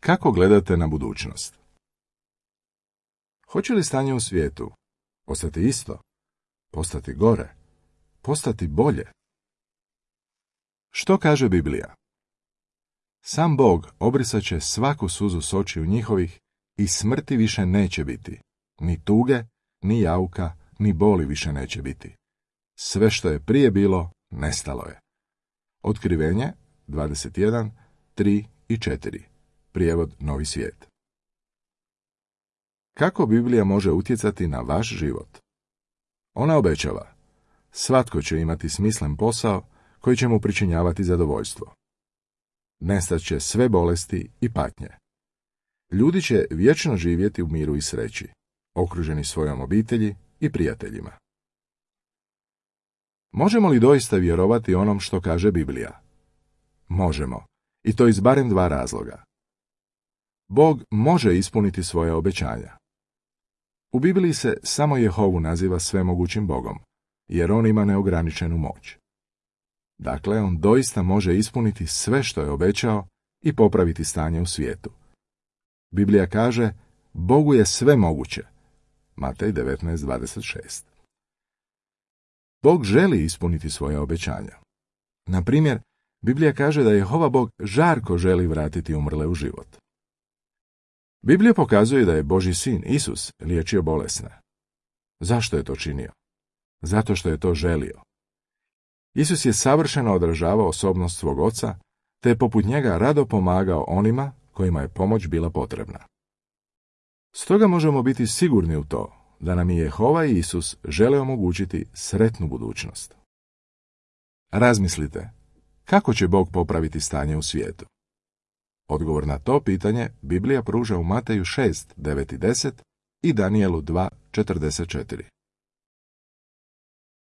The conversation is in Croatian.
Kako gledate na budućnost? Hoće li stanje u svijetu postati isto, postati gore, postati bolje? Što kaže Biblija? Sam Bog obrisat će svaku suzu s očiju njihovih i smrti više neće biti. Ni tuge, ni jauka, ni boli više neće biti. Sve što je prije bilo, nestalo je. Otkrivenje 21, 3 i 4. Prijevod Novi svijet. Kako Biblija može utjecati na vaš život? Ona obećava: svatko će imati smislen posao koji će mu pričinjavati zadovoljstvo. Nestat će sve bolesti i patnje. Ljudi će vječno živjeti u miru i sreći, okruženi svojom obitelji i prijateljima. Možemo li doista vjerovati onom što kaže Biblija? Možemo, i to iz barem 2 razloga. Bog može ispuniti svoje obećanja. U Bibliji se samo Jehovu naziva svemogućim Bogom, jer on ima neograničenu moć. Dakle, on doista može ispuniti sve što je obećao i popraviti stanje u svijetu. Biblija kaže: Bogu je sve moguće. Matej 19:26. Bog želi ispuniti svoje obećanja. Na primjer, Biblija kaže da Jehova Bog žarko želi vratiti umrle u život. Biblija pokazuje da je Božji sin, Isus, liječio bolesne. Zašto je to činio? Zato što je to želio. Isus je savršeno odražavao osobnost svog oca, te je poput njega rado pomagao onima kojima je pomoć bila potrebna. Stoga možemo biti sigurni u to da nam i Jehova i Isus žele omogućiti sretnu budućnost. Razmislite, kako će Bog popraviti stanje u svijetu? Odgovor na to pitanje Biblija pruža u Mateju 6:9 i 10 i Danijelu 2:44.